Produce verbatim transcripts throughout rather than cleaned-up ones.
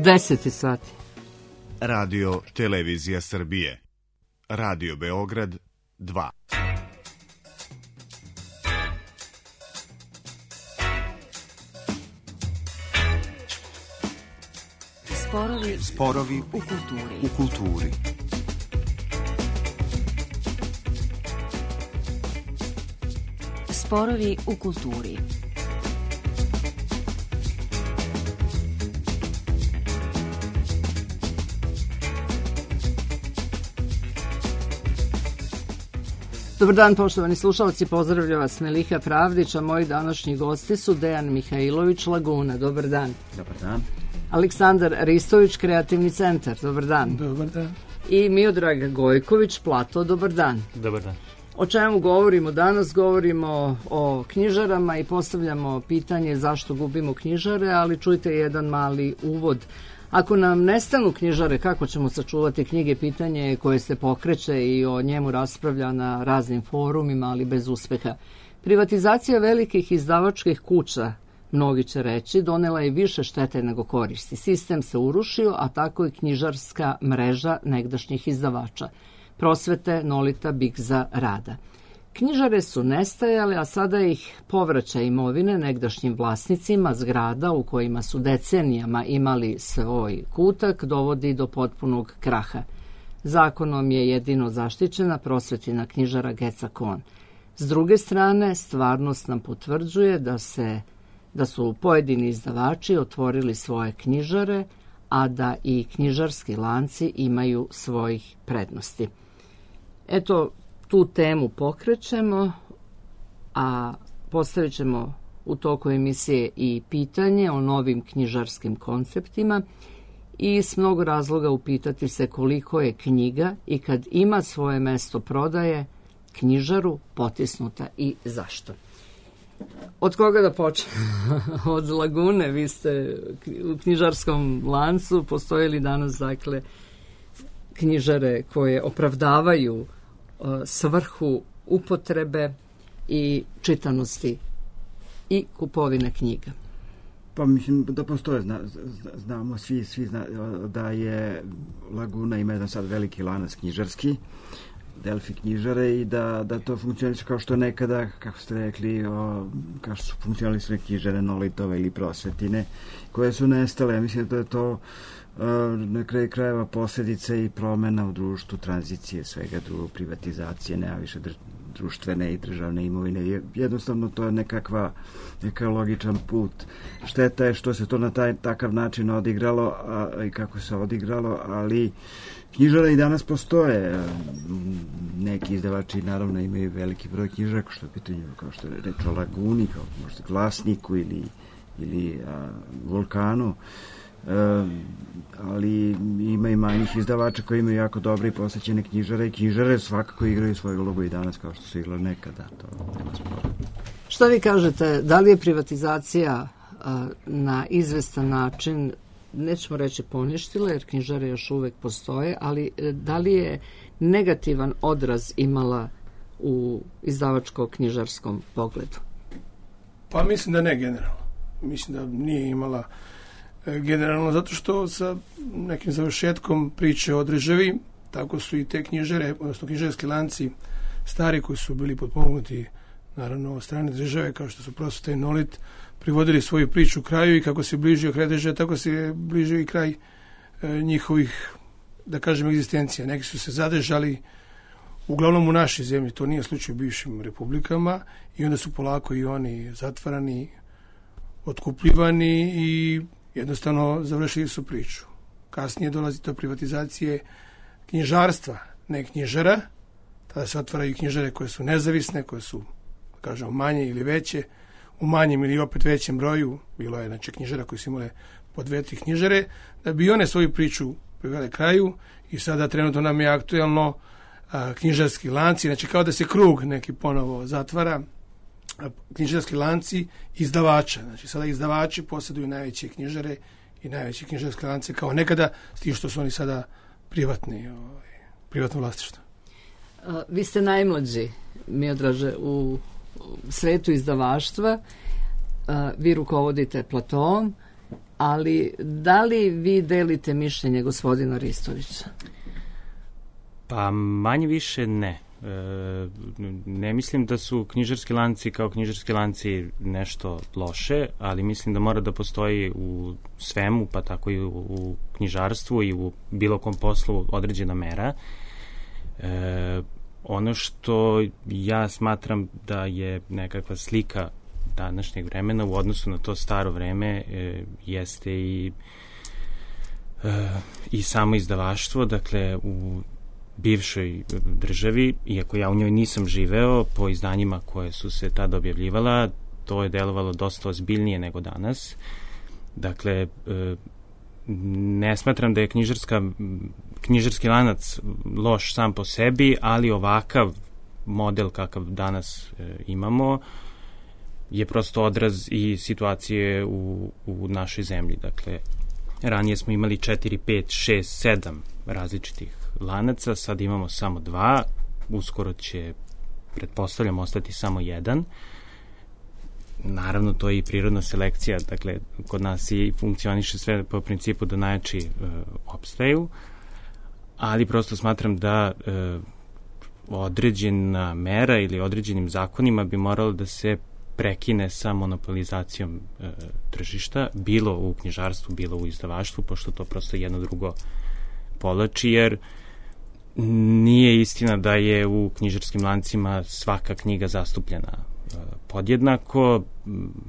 Deseti sati. Radio Televizija Srbije. Radio Beograd dva. Sporovi, Sporovi u kulturi. U kulturi. Sporovi u kulturi. Dobar dan, poštovani slušalci, pozdravlja vas Meliha Pravdić, a moji današnji gosti su Dejan Mihajlović, Laguna. Dobar dan. Dobar dan. Aleksandar Ristović, Kreativni centar. Dobar dan. Dobar dan. I Miodrag Gojković, Plato. Dobar dan. Dobar dan. O čemu govorimo danas? Govorimo o knjižarama i postavljamo pitanje zašto gubimo knjižare, ali čujte jedan mali uvod. Ako nam nestanu knjižare, kako ćemo sačuvati knjige? Pitanje koje se pokreće i o njemu raspravlja na raznim forumima, ali bez uspeha. Privatizacija velikih izdavačkih kuća, mnogi će reći, donela je više štete nego koristi. Sistem se urušio, a tako i knjižarska mreža negdašnjih izdavača. Prosvete, Nolita, Bigza, Rada. Knjižare su nestajale, a sada ih povraća imovine negdašnjim vlasnicima zgrada u kojima su decenijama imali svoj kutak, dovodi do potpunog kraha. Zakonom je jedino zaštićena prosvetina knjižara Geca Kon. S druge strane, stvarnost nam potvrđuje da se da su pojedini izdavači otvorili svoje knjižare, a da i knjižarski lanci imaju svojih prednosti. Eto, tu temu pokrećemo, a postavit ćemo u toku emisije i pitanje o novim knjižarskim konceptima i s mnogo razloga upitati se koliko je knjiga i kad ima svoje mesto prodaje knjižaru potisnuta i zašto. Od koga da počne? Od Lagune. Vi ste u knjižarskom lancu. Postoje li danas, dakle, knjižare koje opravdavaju uh, svrhu upotrebe i čitanosti i kupovine knjiga? Pa mislim da postoje, zna, znamo svi, svi zna, da je Laguna ima jedan sad veliki lanac knjižarski, Delfi knjižare, i da, da to funkcioniše kao što nekada, kako ste rekli, o, kao što su funkcionalisne knjižare Nolitove ili Prosvetine, koje su nestale. Ja mislim da je to o, na kraju krajeva posljedica i promena u društvu, tranzicije, svega drugo, privatizacije, nema više dr, društvene i državne imovine. Jednostavno to je nekakva, nekakav logičan put. Šteta je što se to na taj takav način odigralo a, i kako se odigralo, ali knjižare i danas postoje. Neki izdavači naravno imaju veliki broj knjižara, kao što je pitanje, kao što je reč o Laguni, kao možda Glasniku ili, ili a, Vulkanu. E, ali ima i manjih izdavača koji imaju jako dobre i posvećene knjižare, i knjižare svakako igraju svoju ulogu i danas kao što su igrali nekada. To nema spora. Šta vi kažete, da li je privatizacija a, na izvestan način, nećemo reći poništila, jer knjižare još uvek postoje, ali da li je negativan odraz imala u izdavačko-knjižarskom pogledu? Pa mislim da ne generalno. Mislim da nije imala generalno, zato što sa nekim završetkom priče o državi, tako su i te knjižare, odnosno knjižarski lanci stari koji su bili potpomognuti naravno od strane države, kao što su Prosveta i Nolit, privodili svoju priču kraju, i kako se bližio kraj države, tako se bližio i kraj e, njihovih, da kažem, egzistencija. Neki su se zadržali uglavnom u našoj zemlji, to nije slučaj u bivšim republikama, i onda su polako i oni zatvarani, otkupljivani i jednostavno završili su priču. Kasnije dolazi do privatizacije knjižarstva, ne knjižara, tada se otvaraju knjižare koje su nezavisne, koje su, da kažemo, manje ili veće, u manjem ili opet većem broju. Bilo je, znači, knjižara koji su imale po dve, tri knjižare, da bi one svoju priču privele kraju, i sada trenutno nam je aktuelno a, knjižarski lanci, znači kao da se krug neki ponovo zatvara, a, knjižarski lanci izdavača. Znači sada izdavači posjeduju najveće knjižare i najveće knjižarske lance kao nekada, s tim što su oni sada privatni, ovaj, privatno vlasništvo. A, vi ste najmlađi, Miodraže, u svetu izdavaštva. Vi rukovodite Platoom ali da li vi delite mišljenje gospodina Ristovića? Pa manje više ne. E, ne mislim da su knjižarski lanci kao knjižarski lanci nešto loše, ali mislim da mora da postoji u svemu, pa tako i u, u knjižarstvu i u bilo kom poslu određena mera. E, ono što ja smatram da je nekakva slika današnjeg vremena u odnosu na to staro vreme e, jeste i e, i samo izdavaštvo, dakle u bivšoj državi, iako ja u njoj nisam živeo, po izdanjima koje su se tada objavljivala, to je delovalo dosta ozbiljnije nego danas. Dakle, e, ne smatram da je knjižarska, knjižarski lanac loš sam po sebi, ali ovakav model kakav danas e, imamo je prosto odraz i situacije u, u našoj zemlji. Dakle, ranije smo imali četiri, pet, šest, sedam različitih lanaca, sad imamo samo dva, uskoro će, pretpostavljam, ostati samo jedan. Naravno, to je i prirodna selekcija, dakle, kod nas i funkcioniše sve po principu da najjači e, opstaju, ali prosto smatram da e, određena mera ili određenim zakonima bi moralo da se prekine sa monopolizacijom e, tržišta, bilo u knjižarstvu, bilo u izdavaštvu, pošto to prosto jedno drugo povlači, jer nije istina da je u knjižarskim lancima svaka knjiga zastupljena e, podjednako.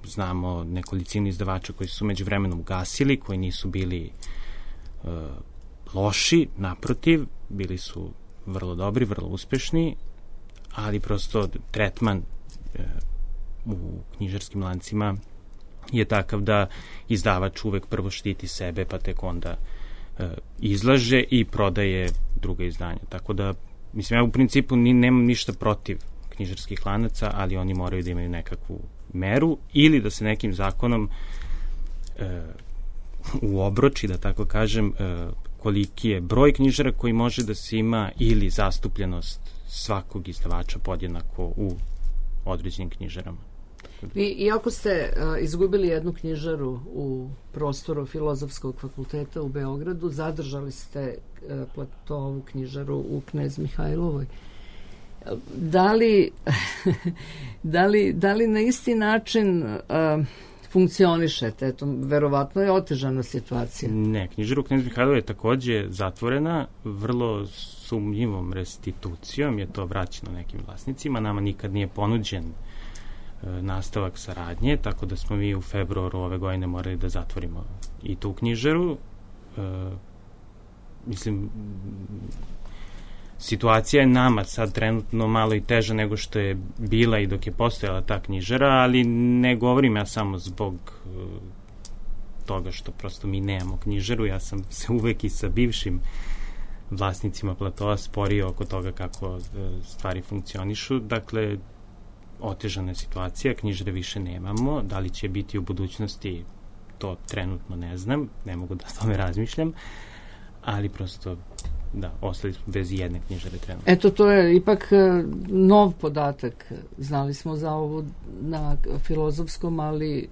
Znamo nekolicinu izdavača koji su među vremenom ugasili, koji nisu bili e, loši, naprotiv, bili su vrlo dobri, vrlo uspešni, ali prosto tretman e, u knjižarskim lancima je takav da izdavač uvek prvo štiti sebe, pa tek onda e, izlaže i prodaje druga izdanja. Tako da, mislim, ja u principu ni, nemam ništa protiv knjižarskih lanaca, ali oni moraju da imaju nekakvu meru ili da se nekim zakonom e, uobroči, da tako kažem, e, koliki je broj knjižara koji može da se ima ili zastupljenost svakog izdavača podjednako u određenim knjižarama. Vi, iako ste uh, izgubili jednu knjižaru u prostoru Filozofskog fakulteta u Beogradu, zadržali ste uh, Platovu knjižaru u Knez Mihajlovoj. Da li, da li, da li na isti način uh, funkcionišete? Eto, verovatno je otežana situacija. Ne, knjižara u Knez Mihajlovoj je takođe zatvorena, vrlo sumnjivom restitucijom je to vraćeno nekim vlasnicima. Nama nikad nije ponuđen nastavak saradnje, tako da smo mi u februaru ove godine morali da zatvorimo i tu knjižaru. E, mislim, situacija je nama sad trenutno malo i teža nego što je bila i dok je postojala ta knjižara, ali ne govorim ja samo zbog e, toga što prosto mi nemamo knjižaru. Ja sam se uvek i sa bivšim vlasnicima Platoa sporio oko toga kako e, stvari funkcionišu. Dakle, otežana je situacija, knjižare više nemamo, da li će biti u budućnosti, to trenutno ne znam, ne mogu da o tome razmišljam, ali prosto, da, ostali smo bez jedne knjižare trenutno. Eto, to je ipak nov podatak, znali smo za ovu na Filozofskom, ali...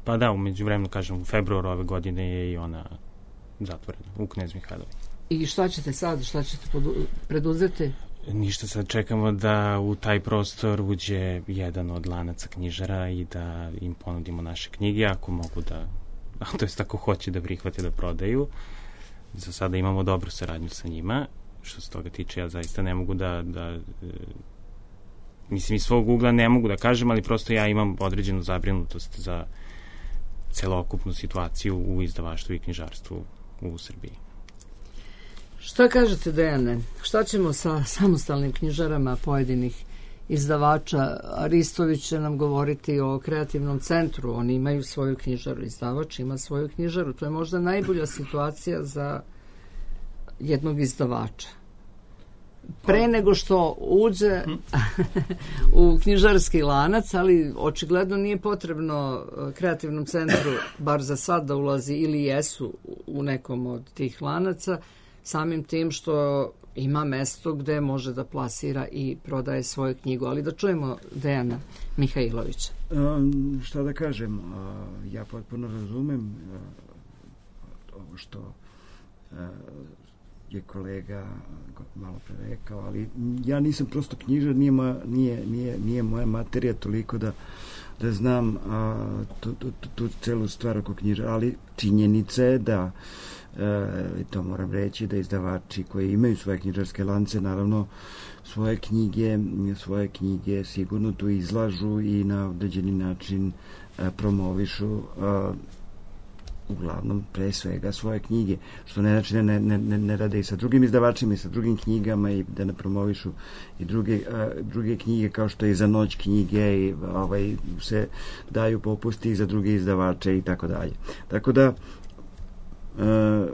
Pa da, umeđu vremenu, kažem, u februaru ove godine je i ona zatvorena u Knez Mihajlovoj. I šta ćete sad, šta ćete preduzeti? Ništa, sad čekamo da u taj prostor uđe jedan od lanaca knjižara i da im ponudimo naše knjige, ako mogu da, to jest ako hoće da prihvate da prodaju. Za sada imamo dobru saradnju sa njima. Što se toga tiče, ja zaista ne mogu da, da mislim, iz svog ugla ne mogu da kažem, ali prosto ja imam određenu zabrinutost za celokupnu situaciju u izdavaštvu i knjižarstvu u Srbiji. Šta kažete, Dejane? Šta ćemo sa samostalnim knjižarama pojedinih izdavača? Ristović će nam govoriti o kreativnom centru. Oni imaju svoju knjižaru, izdavač ima svoju knjižaru. To je možda najbolja situacija za jednog izdavača. Pre nego što uđe u knjižarski lanac, ali očigledno nije potrebno kreativnom centru, bar za sad, da ulazi ili jesu u nekom od tih lanaca, samim tim što ima mesto gde može da plasira i prodaje svoju knjigu. Ali da čujemo Dejana Mihajlovića. Um, šta da kažem, uh, ja potpuno razumem uh, ovo što uh, je kolega malo pre rekao, ali ja nisam prosto knjižar, nije, moja, nije, nije, nije moja materija toliko da, da znam a, tu, tu, tu, tu celu stvar oko knjižara, ali činjenica je da e, to moram reći da izdavači koji imaju svoje knjižarske lance naravno svoje knjige svoje knjige sigurno tu izlažu i na određeni način e, promovišu a, uglavnom pre svega svoje knjige, što ne znači ne, ne, ne, ne rade i sa drugim izdavačima i sa drugim knjigama i da ne promovišu i druge, a, druge knjige kao što je Za noć knjige i ovaj, se daju popusti i za druge izdavače i tako dalje. Tako da a,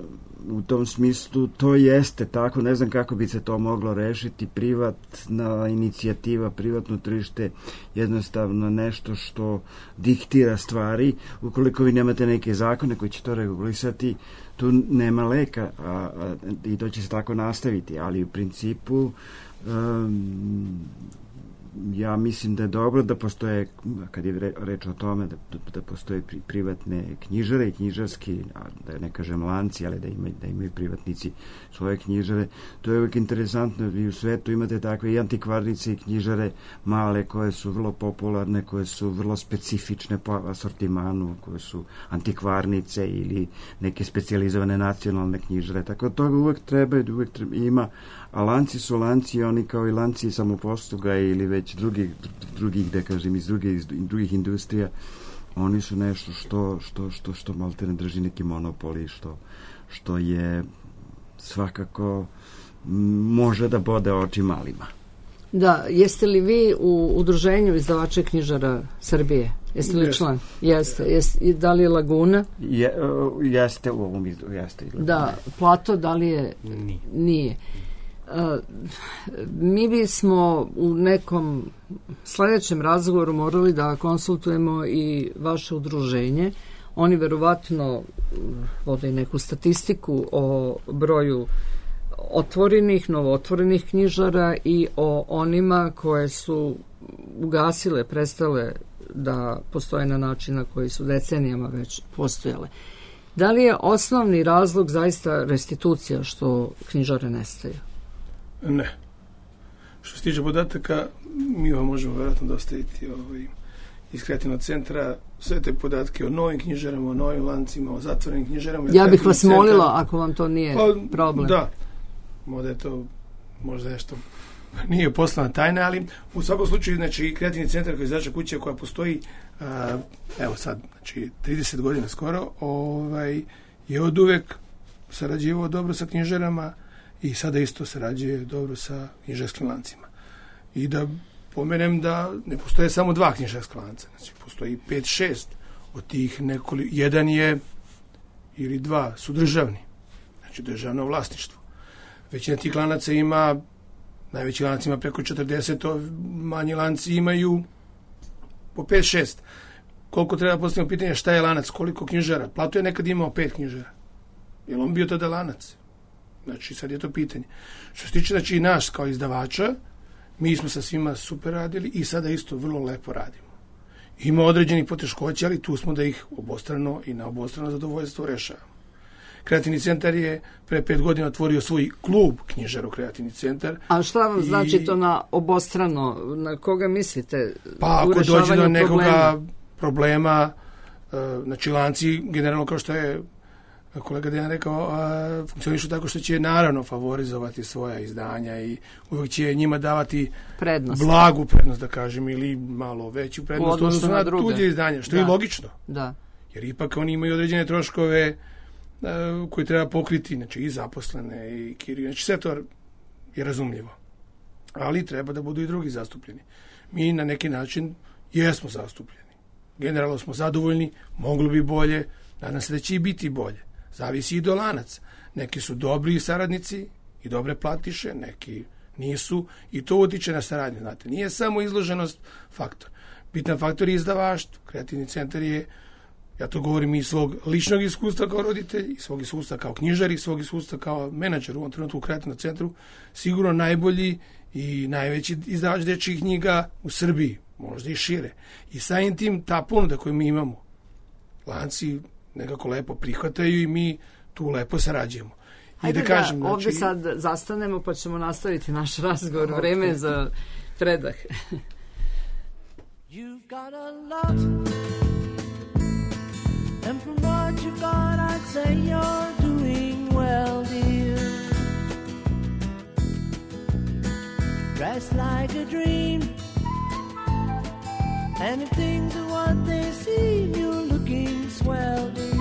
u tom smislu to jeste tako, ne znam kako bi se to moglo rešiti, privatna inicijativa, privatno tržište jednostavno nešto što diktira stvari, ukoliko vi nemate neke zakone koji će to regulisati, tu nema leka a, a, i to će se tako nastaviti, ali u principu um, ja mislim da je dobro da postoje, kad je reč o tome, da, da postoje pri, privatne knjižare i knjižarski, da ne kažem lanci, ali da imaju, da imaju privatnici svoje knjižare. To je uvijek interesantno. Vi u svetu imate takve i antikvarnice i knjižare male koje su vrlo popularne, koje su vrlo specifične po asortimanu, koje su antikvarnice ili neke specijalizovane nacionalne knjižare. Tako da toga uvijek treba i uvijek treba, ima. A lanci su lanci, oni kao i lanci samoposluga ili već drugih, drugih da kažem, iz drugih, iz drugih industrija, oni su nešto što, što, što, što malte ne drži neki monopoli, što, što je svakako može da bode oči malima. Da, jeste li vi u udruženju izdavača knjižara Srbije? Jeste li član? Jeste. Jeste. Da li je Laguna? Je, jeste u ovom izdu, jeste. Da, Plato, da li je? Nije. Nije. Uh, mi bismo u nekom sledećem razgovoru morali da konsultujemo i vaše udruženje. Oni verovatno vode neku statistiku o broju otvorenih, novootvorenih knjižara i o onima koje su ugasile, prestale da postoje na način na koji su decenijama već postojale. Da li je osnovni razlog zaista restitucija što knjižare nestaju? Ne. Što se tiče podataka, mi vam možemo vjerojatno dostaviti ovaj, iz kreativnog centra sve te podatke o novim knjižarama, o novim lancima, o zatvorenim knjižarama. Ja bih vas centar... molila, ako vam to nije pa, problem. Da, možda je to možda nešto nije poslovna tajna, ali u svakom slučaju, znači, kreativni centar koji je izdavačka kuća koja postoji, a, evo sad, znači, trideset godina skoro, ovaj, je od uvek sarađivao dobro sa knjižarama i sada isto sarađuje dobro sa knjižarskim lancima. I da pomenem da ne postoje samo dva knjižarska lanca, znači postoji pet, šest od tih nekoliko, jedan je ili dva su državni, znači državno vlasništvo. Većina tih lanaca ima, najveći lanac ima preko četrdeset, manji lanci imaju po pet, šest. Koliko treba postaviti pitanje šta je lanac, koliko knjižara? Plato je nekad imao pet knjižara. Je li on bio tada lanac? Znači, sad je to pitanje. Što se tiče, znači, i naš kao izdavača, mi smo sa svima super radili i sada isto vrlo lepo radimo. Ima određenih poteškoća, ali tu smo da ih obostrano i na obostrano zadovoljstvo rešavamo. Kreativni centar je pre pet godina otvorio svoj klub knjižara u Kreativni centar. A šta vam i... znači to na obostrano? Na koga mislite? Pa ako dođe do nekoga problema, problema znači lanci, generalno kao što je kolega Dejan rekao, a, funkcionišu tako što će naravno favorizovati svoja izdanja i uvijek će njima davati prednost. Blagu prednost, da kažem, ili malo veću prednost u odnosu na, na tuđe izdanja, što da. Je logično. Da. Jer ipak oni imaju određene troškove a, koje treba pokriti, znači i zaposlene i kiriju, znači sve to je razumljivo. Ali treba da budu i drugi zastupljeni. Mi na neki način jesmo zastupljeni. Generalno smo zadovoljni, moglo bi bolje, nadam se da će i biti bolje. Zavisi i do lanaca. Neki su dobri saradnici i dobre platiše, neki nisu i to utiče na saradnju. Znate, nije samo izloženost faktor. Bitan faktor je izdavaštvo. Kreativni centar je Ja to govorim iz svog ličnog iskustva kao roditelj, iz svog iskustva kao knjižar, iz svog iskustva kao menadžer u ovom trenutku u Kreativnom centru. Sigurno najbolji i najveći izdavač dečjih knjiga u Srbiji, možda i šire. I samim tim ta ponuda koju mi imamo, lanci nekako lepo prihvataju i mi tu lepo sarađujemo. Hajde da, kažem, da ovdje znači... sad zastanemo pa ćemo nastaviti naš razgovor. Okay. Vreme za predah. You've got a lot, and from what you've got I'd say you're doing well, dear. Dressed like a dream, and if things are what they seem, you're looking swell, dear.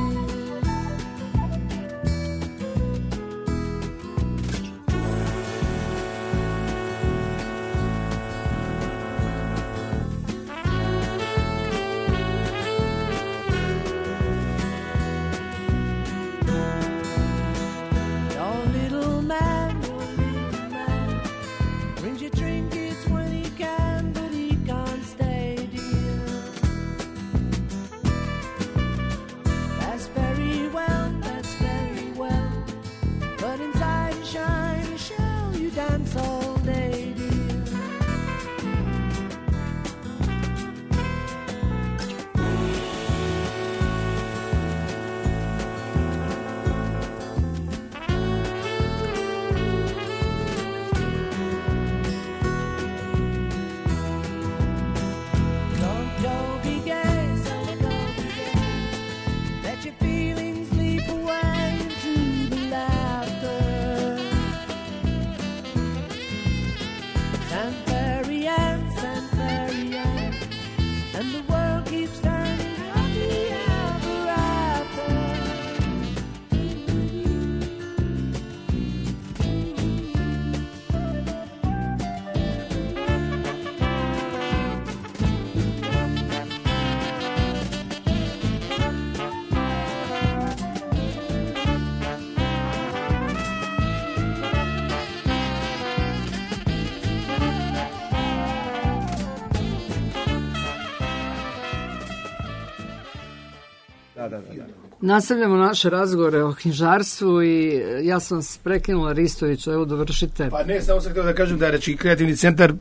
Da, da, da, da. Nastavljamo naše razgovore o knjižarstvu i ja sam vas prekinula, Ristoviću, evo dovršite. Pa ne, samo sam htio da kažem da reći Kreativni centar,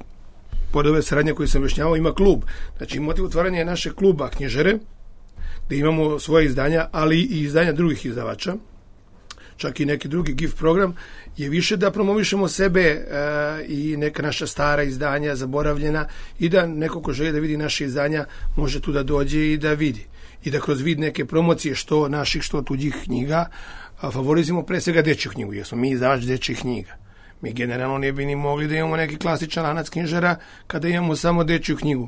pored ove saradnje koju sam objašnjavao, ima klub. Znači, motiv otvaranja je naše kluba knjižare, gde imamo svoje izdanja, ali i izdanja drugih izdavača, čak i neki drugi gift program, je više da promovišemo sebe e, i neka naša stara izdanja, zaboravljena, i da neko ko želi da vidi naše izdanja može tu da dođe i da vidi. I da kroz vid neke promocije, što naših, što tuđih knjiga, a, favorizimo pre svega dečju knjigu, jer smo mi izdavač dečjih knjiga. Mi generalno ne bi ni mogli da imamo neki klasičan lanac knjižara kada imamo samo dečju knjigu.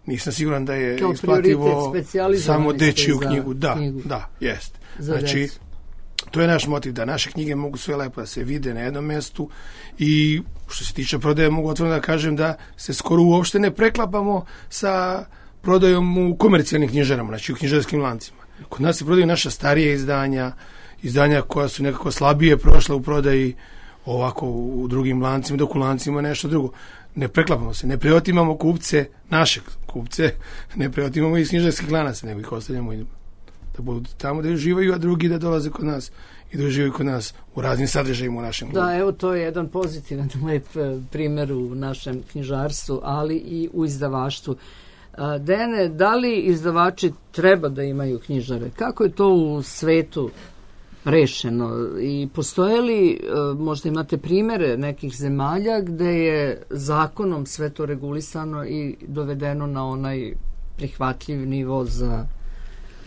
Nisam siguran da je kao isplativo samo dečju knjigu. Da, knjigu. Da, jest. Znači, decu. To je naš motiv, da naše knjige mogu sve lepo da se vide na jednom mjestu i što se tiče prodaje, mogu otvoreno da kažem da se skoro uopšte ne preklapamo sa prodajom u komercijalnim knjižarama, znači u knjižarskim lancima. Kod nas se prodaju naša starije izdanja, izdanja koja su nekako slabije prošla u prodaji ovako u drugim lancima, dok u lancima nešto drugo. Ne preklapamo se, ne preotimamo kupce, naše kupce, ne preotimamo iz knjižarskih lanaca, nego ih ostavljamo i da budu tamo da uživaju, a drugi da dolaze kod nas i da uživaju kod nas u raznim sadržajima u našem klubu. Da, evo to je jedan pozitivan, lep primjer u našem knjižarstvu, ali i u izdavaštvu. Dene, da li izdavači treba da imaju knjižare? Kako je to u svetu rešeno? I postoje li, možda imate primjere nekih zemalja gde je zakonom sve to regulisano i dovedeno na onaj prihvatljiv nivo za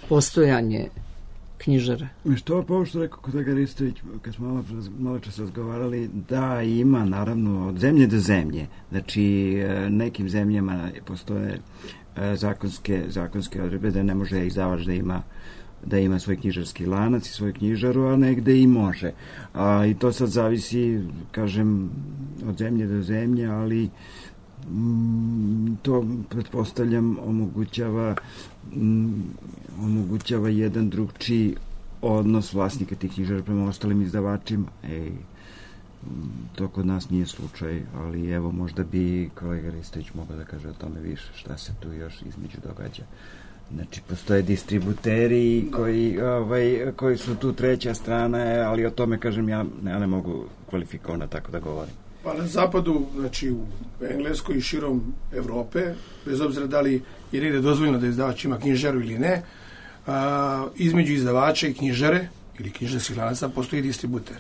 postojanje knjižare? Što pa ovo što rekao kolega Ristović, kad smo malo, malo čas razgovarali, da ima naravno od zemlje do zemlje. Znači nekim zemljama postoje zakonske, zakonske odredbe da ne može izdavač da ima da ima svoj knjižarski lanac i svoju knjižaru, a negde i može. A, i to sad zavisi, kažem, od zemlje do zemlje, ali mm, to pretpostavljam omogućava mm, omogućava jedan drugčiji odnos vlasnika tih knjižara prema ostalim izdavačima. Ej, to kod nas nije slučaj, ali evo možda bi kolega Ristović mogao da kaže o tome više, šta se tu još između događa Znači, postoje distributeri koji, ovaj, koji su tu treća strana, ali o tome, kažem, ja ne, ne mogu kvalifikovano tako da govorim. Pa na zapadu, znači u Engleskoj i širom Evrope, bez obzira da li je negde dozvoljeno da izdavač ima knjižaru ili ne, a, između izdavača i knjižare ili knjižarskih lanaca postoji distributer.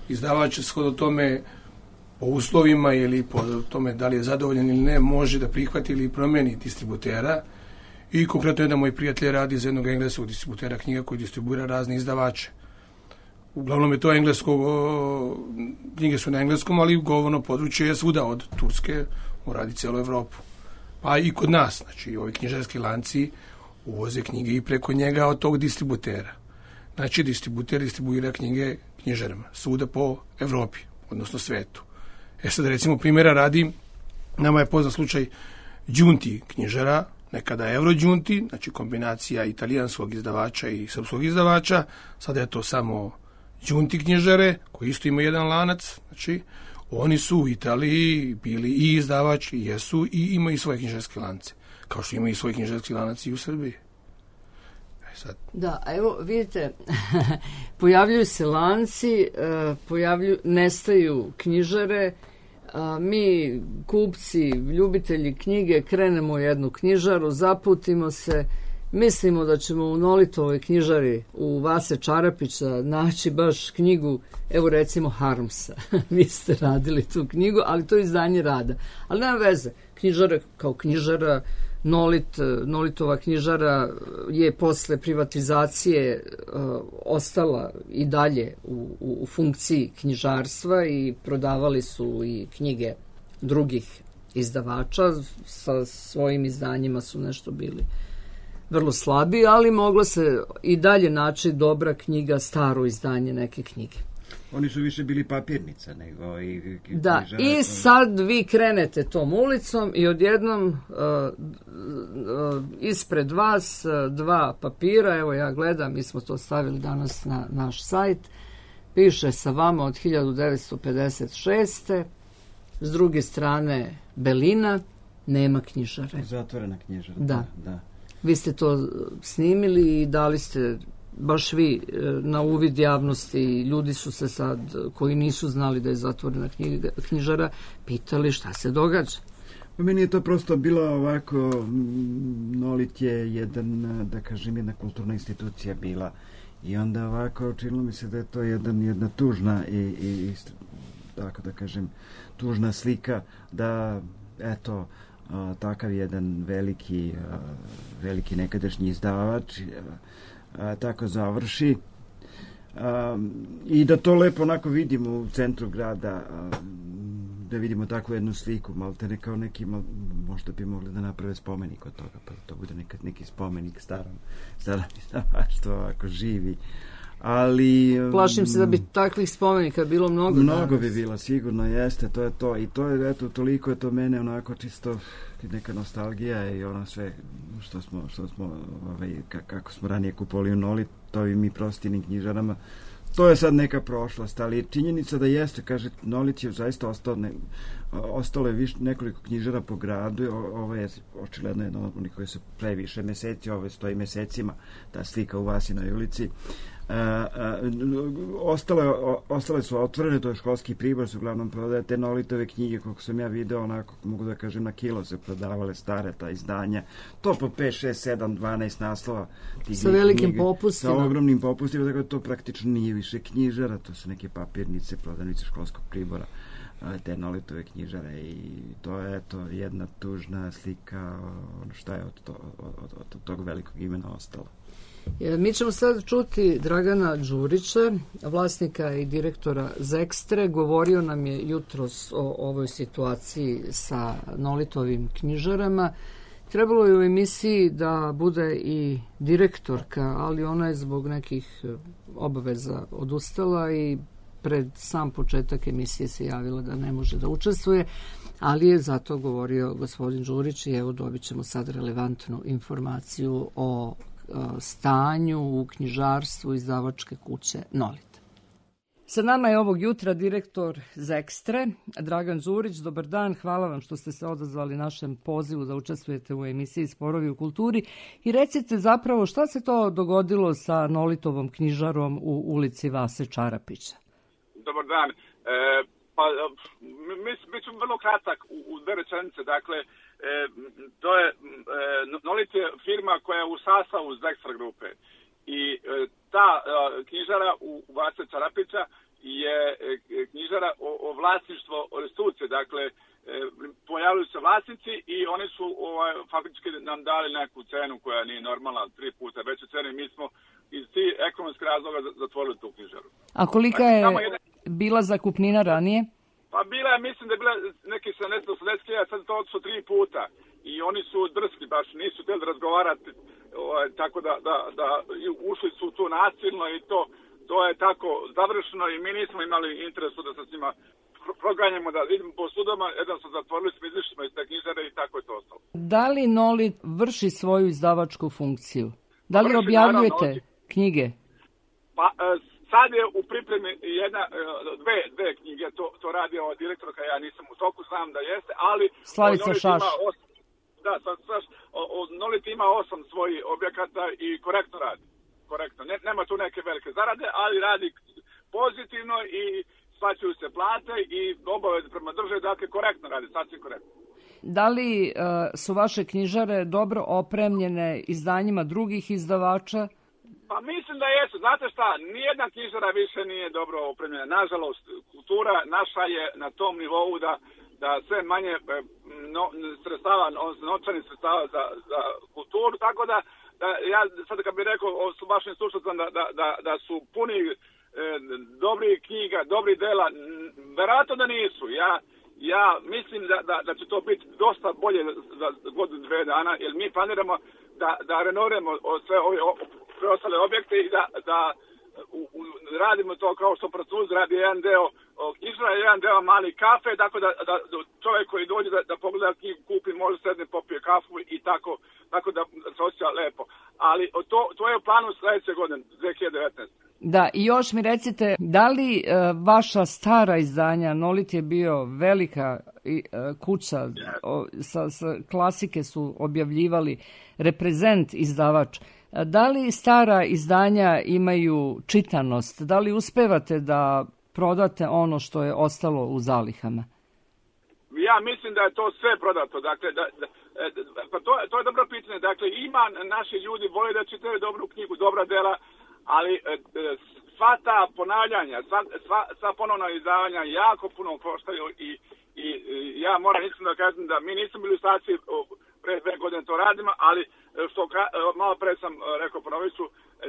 Izdavač shodno tome po uslovima ili po tome da li je zadovoljan ili ne, može da prihvati ili promeni distributera. I konkretno jedan moj prijatelj radi za jednog engleskog distributera knjiga koji distribuira razne izdavače. Uglavnom je to englesko, knjige su na engleskom, ali govorno područje je svuda od Turske, on radi celu Evropu. Pa i kod nas, znači ovi knjižarski lanci uvoze knjige i preko njega od tog distributera. Znači distributer distribuira knjige knjižarama, svuda po Evropi, odnosno svetu. E sad recimo primjera radi, nama je poznat slučaj Giunti knjižara, nekada Eurogiunti, znači kombinacija italijanskog izdavača i srpskog izdavača, sada je to samo Giunti knjižare, koji isto ima jedan lanac, znači oni su u Italiji bili i izdavač, i jesu, i imaju svoje knjižarske lance, kao što imaju svoje knjižarski lanac i u Srbiji. E sad. Da, a evo vidite, pojavljuju se lanci, pojavljuju, nestaju knjižare, a mi, kupci, ljubitelji knjige, krenemo u jednu knjižaru, zaputimo se, mislimo da ćemo u Nolitovoj knjižari u Vase Čarapića naći baš knjigu, evo recimo Harmsa. Vi ste radili tu knjigu, ali to je izdanje Rada. Ali nema veze, knjižara kao knjižara, Nolit, Nolitova knjižara je posle privatizacije uh, ostala i dalje u, u, u funkciji knjižarstva i prodavali su i knjige drugih izdavača. Sa svojim izdanjima su nešto bili vrlo slabi, ali moglo se i dalje naći dobra knjiga, staro izdanje neke knjige. Oni su više bili papirnica nego i... Da, i sad vi krenete tom ulicom i odjednom uh, uh, ispred vas uh, dva papira, evo ja gledam, mi smo to stavili danas na naš sajt, piše sa vama od hiljadu devetsto pedeset šeste. S druge strane Belina, nema knjižare. Zatvorena knjižara. Da. da. Vi ste to snimili i dali ste baš vi na uvid javnosti. Ljudi su se sad, koji nisu znali da je zatvorena knjiga, knjižara, pitali šta se događa. Pa meni je to prosto bilo ovako, Nolit je jedan, da kažem, jedna kulturna institucija bila. I onda ovako činilo mi se da je to jedan, jedna tužna i, i tako da kažem, tužna slika da, eto, a, takav jedan veliki, a, veliki nekadašnji izdavač a, tako završi. A, I da to lepo onako vidimo u centru grada, a, da vidimo takvu jednu sliku, maltene kao neki, mal, možda bi mogli da naprave spomenik od toga, pa to bude nekad neki spomenik starom, starom izdavaštvu, ako živi. Ali... Plašim se da bi takvih spomenika bilo mnogo. Mnogo danas. bi bilo, sigurno jeste, to je to. I to je, eto, toliko je to mene onako čisto neka nostalgija i ono sve što smo, što smo ovaj, kako smo ranije kupovali u Nolitovim mi prostinim knjižarama. To je sad neka prošlost, ali činjenica da jeste, kaže, Nolit je zaista ostao, ne, ostalo je viš, nekoliko knjižara po gradu, o, ovo je očigledno jedno od onih koji su previše meseci, ovo stoji mesecima, ta slika u Vasinoj ulici. Uh, uh, ostale, o, ostale su otvorene, to je Školski pribor, su uglavnom prodaje te Nolitove knjige, koliko sam ja video, onako, mogu da kažem, na kilo se prodavale stare ta izdanja, to po pet, šest, sedam, dvanaest naslova. Sa velikim popustima. Sa ogromnim popustima, tako da to praktično nije više knjižara, to su neke papirnice, prodavnice Školskog pribora, te Nolitove knjižare i to je eto jedna tužna slika ono šta je od, to, od, od, od tog velikog imena ostalo. Mi ćemo sad čuti Dragana Đurića, vlasnika i direktora Zekstre. Govorio nam je jutros o ovoj situaciji sa Nolitovim knjižarama. Trebalo je u emisiji da bude i direktorka, ali ona je zbog nekih obaveza odustala i pred sam početak emisije se javila da ne može da učestvuje, ali je zato govorio gospodin Đurić i evo dobit ćemo sad relevantnu informaciju o stanju u knjižarstvu izdavačke kuće Nolit. Sa nama je ovog jutra direktor Zekstre, Dragan Đurić. Dobar dan, hvala vam što ste se odazvali našem pozivu da učestvujete u emisiji Sporovi u kulturi. I recite zapravo šta se to dogodilo sa Nolitovom knjižarom u ulici Vase Čarapića? Dobar dan. E, pa, mi, mi ćemo vrlo kratak u, u dve rečenice. Dakle, e, to je, e, Nolit je firma koja je u sastavu Zekstra grupe. I e, ta e, knjižara u Vase Čarapića je e, knjižara o, o vlasništvo restitucije. Dakle, e, pojavili se vlasnici i oni su ovaj, faktički nam dali neku cenu koja nije normalna, tri puta veću cenu i mi smo iz tih ekonomskih razloga zatvorili tu knjižaru. A kolika je bila zakupnina ranije? Pa bila je, mislim da je bila neki sedamdeset do osamdeset hiljada, sad to su tri puta. I oni su drski, baš nisu htjeli razgovarati, ovaj, tako da, da, da ušli su tu nasilno i to, to je tako završeno i mi nismo imali interesu da se s njima proganjamo, da idemo po sudama, jedan su zatvorili, smo izišli smo iz te knjižare i tako je to ostalo. Da li Nolit vrši svoju izdavačku funkciju? Da li vrši, objavljujete naravno, knjige? Pa sad je u pripremi jedna, dve, dve knjige, to, to radi ova direktorka, ja nisam u toku, znam da jeste, ali... Slavica Šaš. Osam, da, Šaš, Nolit ima osam svojih objekata i korektno radi. Korektno. Ne, nema tu neke velike zarade, ali radi pozitivno i splaćuju se plate i obaveze prema državi, dakle korektno radi, sasvim korektno. Da li uh, su vaše knjižare dobro opremljene izdanjima drugih izdavača? Pa mislim da jesu. Znate šta, nijedna knjižara više nije dobro opremljena. Nažalost, kultura naša je na tom nivou da, da sve manje no, sredstava, novčanih sredstava za, za kulturu, tako da, da ja sad kad bih rekao o vašim slušateljima da, da, da, da su puni e, dobrih knjiga, dobrih dela, verovatno da nisu. Ja, ja mislim da, da, da će to biti dosta bolje za godinu, dve dana, jer mi planiramo da, da renoviramo sve ove preostale objekte i da, da u, u, radimo to kao što Francuzi radi jedan deo knjižara, jedan deo mali kafe, tako da, da čovjek koji dođe da, da pogleda knjigu, kupi, može sedne, popije kafu i tako, tako da se osjeća lepo. Ali to, to je u planu sledeće godine, dve hiljade devetnaeste. Da, i još mi recite, da li e, vaša stara izdanja, Nolit je bio velika e, kuća, o, sa, sa klasike su objavljivali, Reprezent izdavač, da li stara izdanja imaju čitanost? Da li uspevate da prodate ono što je ostalo u zalihama? Ja mislim da je to sve prodato. Dakle, da, da, pa to, to je dobro pitanje. Dakle, ima naši ljudi vole da čitaju dobru knjigu, dobra dela, ali sva ta ponavljanja, sva, sva, sva ponovna izdavanja jako puno koštaju i, i, i ja moram mislim da kažem da mi nismo bili u staciji pre dve godine to radimo, ali što malo pre sam rekao Ponoviću,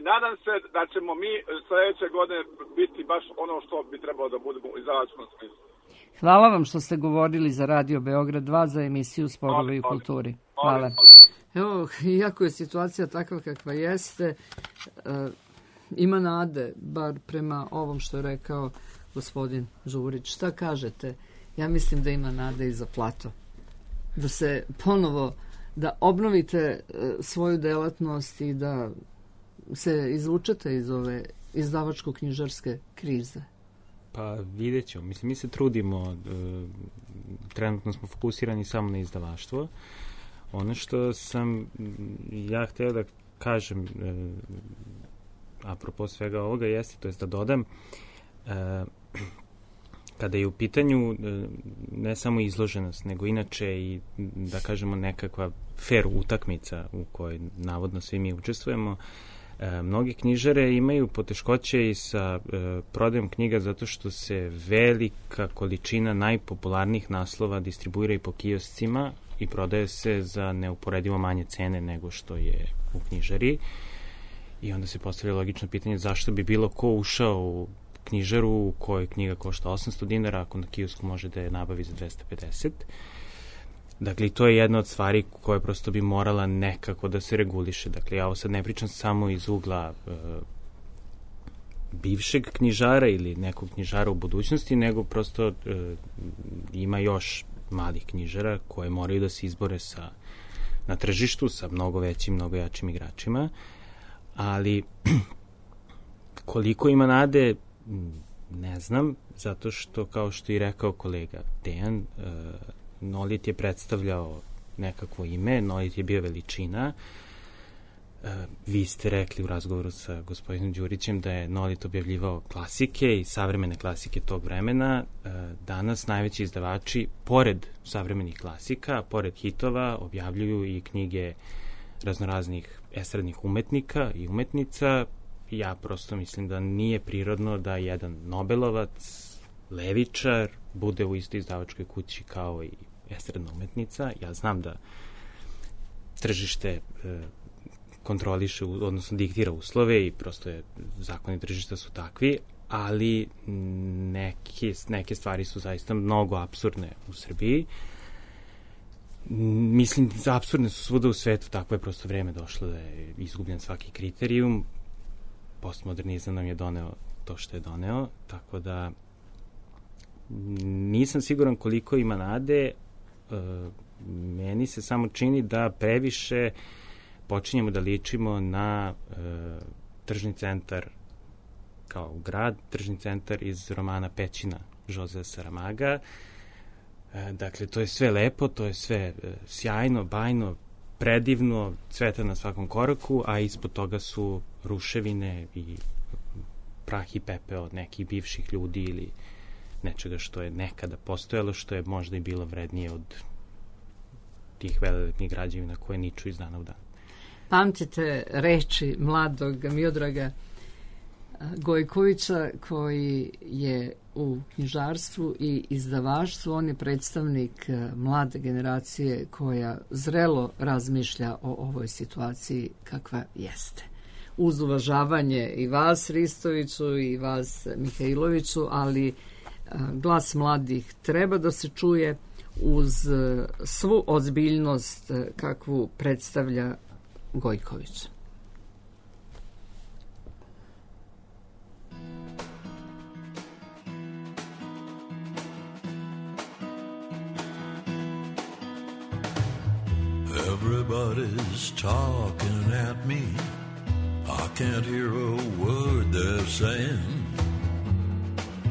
nadam se da ćemo mi sledeće godine biti baš ono što bi trebalo da budemo u izdavačkom smislu. Hvala vam što ste govorili za Radio Beograd dva za emisiju Sporovi u kulturi. Hvala. Evo, iako je situacija takva kakva jeste, ima nade, bar prema ovom što je rekao gospodin Đurić. Šta kažete? Ja mislim da ima nade i za Plato. Da se ponovo, da obnovite svoju delatnost i da se izvučete iz ove izdavačko-knjižarske krize. Pa vidjet ćemo. Mislim, mi se trudimo, e, trenutno smo fokusirani samo na izdavaštvo. Ono što sam ja hteo da kažem e, apropo svega ovoga jeste, to je da dodam, e, kada je u pitanju ne samo izloženost, nego inače i, da kažemo, nekakva fair utakmica u kojoj navodno svi mi učestvujemo, e, mnogi knjižare imaju poteškoće i sa e, prodajom knjiga zato što se velika količina najpopularnijih naslova distribuira i po kioscima i prodaje se za neuporedivo manje cene nego što je u knjižari. I onda se postavlja logično pitanje zašto bi bilo ko ušao u knjižaru u kojoj knjiga košta osamsto dinara, ako na kiosku može da je nabavi za dvesta pedeset. Dakle, to je jedna od stvari koja prosto bi morala nekako da se reguliše. Dakle, ja ovo sad ne pričam samo iz ugla e, bivšeg knjižara ili nekog knjižara u budućnosti, nego prosto e, ima još malih knjižara koje moraju da se izbore sa, na tržištu sa mnogo većim, mnogo jačim igračima. Ali koliko ima nade, Ne znam, zato što, kao što i rekao kolega Dejan, uh, Nolit je predstavljao nekakvo ime, Nolit je bio veličina. Uh, vi ste rekli u razgovoru sa gospodinom Đurićem da je Nolit objavljivao klasike i savremene klasike tog vremena. Uh, danas najveći izdavači, pored savremenih klasika, pored hitova, objavljuju i knjige raznoraznih estradnih umetnika i umetnica. Ja prosto mislim da nije prirodno da jedan Nobelovac, levičar, bude u istoj izdavačkoj kući kao i estradna umetnica. Ja znam da tržište e, kontroliše, odnosno diktira uslove i prosto je, zakoni tržišta su takvi, ali neke, neke stvari su zaista mnogo apsurdne u Srbiji. Mislim, apsurdne su svuda u svetu, tako je prosto vreme došlo da je izgubljen svaki kriterijum. Postmodernizam nam je doneo to što je doneo, tako da nisam siguran koliko ima nade. E, meni se samo čini da previše počinjemo da ličimo na e, tržni centar kao grad, tržni centar iz romana Pećina Josea Saramaga. E, dakle, to je sve lepo, to je sve e, sjajno, bajno, predivno, cveta na svakom koraku, a ispod toga su ruševine i prah i pepeo nekih bivših ljudi ili nečega što je nekada postojalo, što je možda i bilo vrednije od tih velelepnih građevina koje niču iz dana u dan. Pamtite reči mladog Miodraga Gojkovića, koji je u knjižarstvu i izdavaštvu. On je predstavnik mlade generacije koja zrelo razmišlja o ovoj situaciji kakva jeste. Uz uvažavanje i vas, Ristoviću, i vas, Mihajloviću, ali glas mladih treba da se čuje uz svu ozbiljnost kakvu predstavlja Gojković. Everybody's talking at me. I can't hear a word they're saying.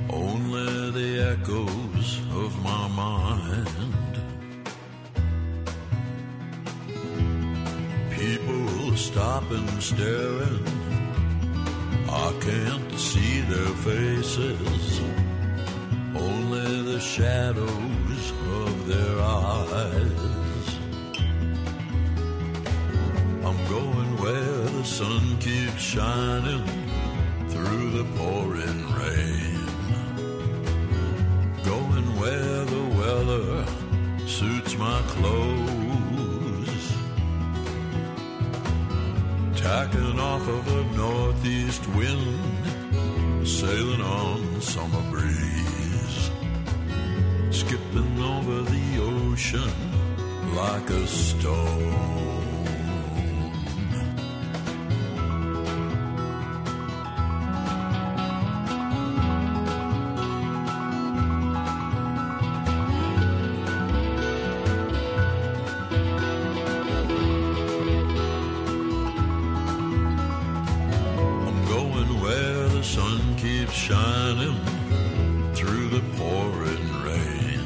Only the echoes of my mind. People stopping, staring. I can't see their faces. Only the shadows of their eyes. I'm going where the sun keeps shining through the pouring rain. Going where the weather suits my clothes. Tacking off of a northeast wind, sailing on summer breeze. Skipping over the ocean like a stone. Shining through the pouring rain.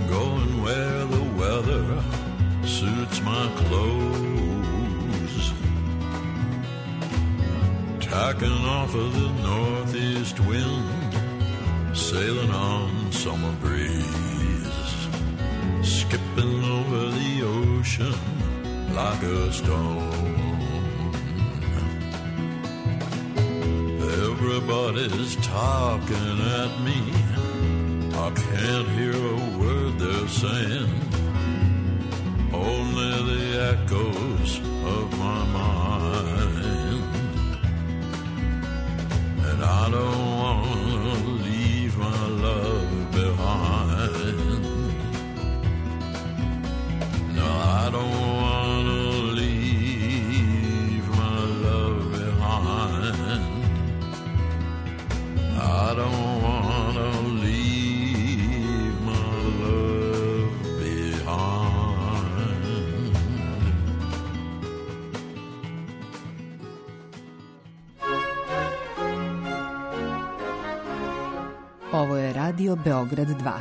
Going where the weather suits my clothes. Tacking off of the northeast wind, sailing on summer breeze. Skipping over the ocean like a stone. Everybody's talking at me. I can't hear a word they're saying. Only the echoes of my mind. And I don't want to leave my love behind. No, I don't want to leave my love behind. I don't want to leave my love behind. Ovo je Radio Beograd dva.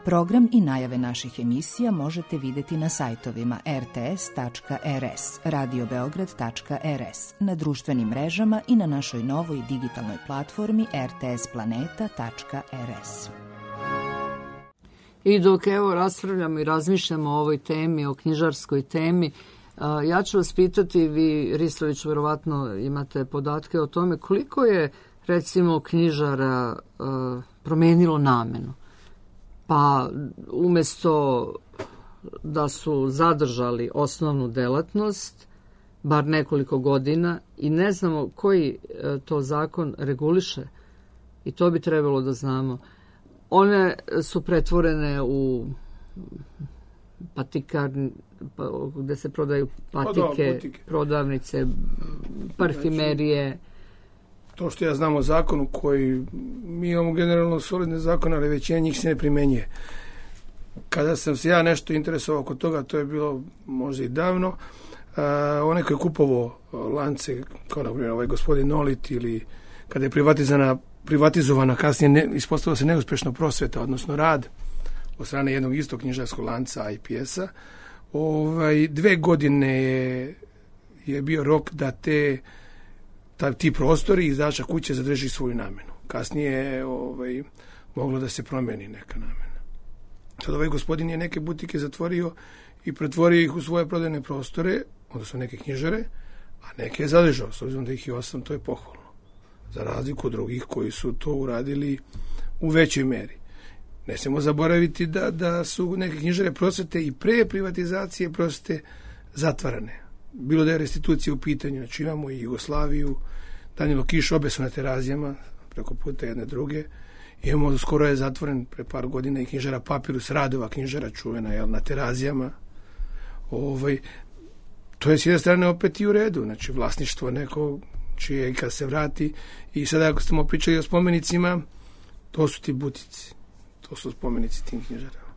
Program i najave naših emisija možete vidjeti na sajtovima er te es tačka er es, radio beograd tačka er es, na društvenim mrežama i na našoj novoj digitalnoj platformi er te es planeta tačka er es. I dok evo raspravljamo i razmišljamo o ovoj temi, o knjižarskoj temi, ja ću vas pitati, vi, Ristović, verovatno imate podatke o tome koliko je, recimo, knjižara promenilo namenu. Pa umjesto da su zadržali osnovnu delatnost, bar nekoliko godina, i ne znamo koji to zakon reguliše, i to bi trebalo da znamo, one su pretvorene u patikarni, gde se prodaju patike, prodavnice, parfimerije. To što ja znam o zakonu koji, mi imamo generalno solidne zakone, ali većina njih se ne primenjuje. Kada sam se ja nešto interesovao oko toga, to je bilo možda i davno, uh, onaj koji je kupovao lance, kao na primjer ovaj gospodin Nolit, ili kada je privatizovana, privatizovana kasnije ne, ispostavila se neuspešno prosveta, odnosno rad od strane jednog istog knjižarskog lanca I P S-a, ovaj, dve godine je, je bio rok da te Ta, ti prostori izdača kuće zadrži svoju namenu. Kasnije je ovaj, moglo da se promeni neka namena. Sad ovaj gospodin je neke butike zatvorio i pretvorio ih u svoje prodajne prostore, odnosno neke knjižare, a neke je zadržao. S obzirom da ih je osam, to je pohvalno. Za razliku od drugih koji su to uradili u većoj meri. Ne smemo zaboraviti da, da su neke knjižare prosvete i pre privatizacije prosvete zatvarane. Bilo da je restitucija u pitanju, znači imamo i Jugoslaviju, Danilo Kiš, obe su na Terazijama, preko puta jedne druge. Imamo, skoro je zatvoren pre par godina i knjižara Papirus Radova, knjižara čuvena, jel, na Terazijama. Ovaj, to je s jedne strane opet i u redu, znači vlasništvo neko čije i kad se vrati. I sada ako smo pričali o spomenicima, to su ti butici, to su spomenici tim knjižarama.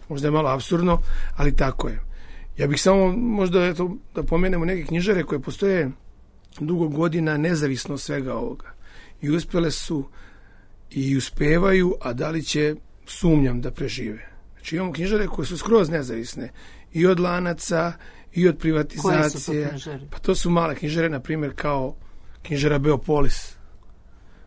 Možda je malo apsurdno, ali tako je. Ja bih samo možda eto, da pomenemo neke knjižare koje postoje dugo godina nezavisno od svega ovoga. I uspjele su i uspevaju, a da li će, sumnjam, da prežive. Znači imamo knjižare koje su skroz nezavisne i od lanaca i od privatizacije. Koje su to knjižare? Pa to su male knjižare, na primjer kao knjižara Beopolis,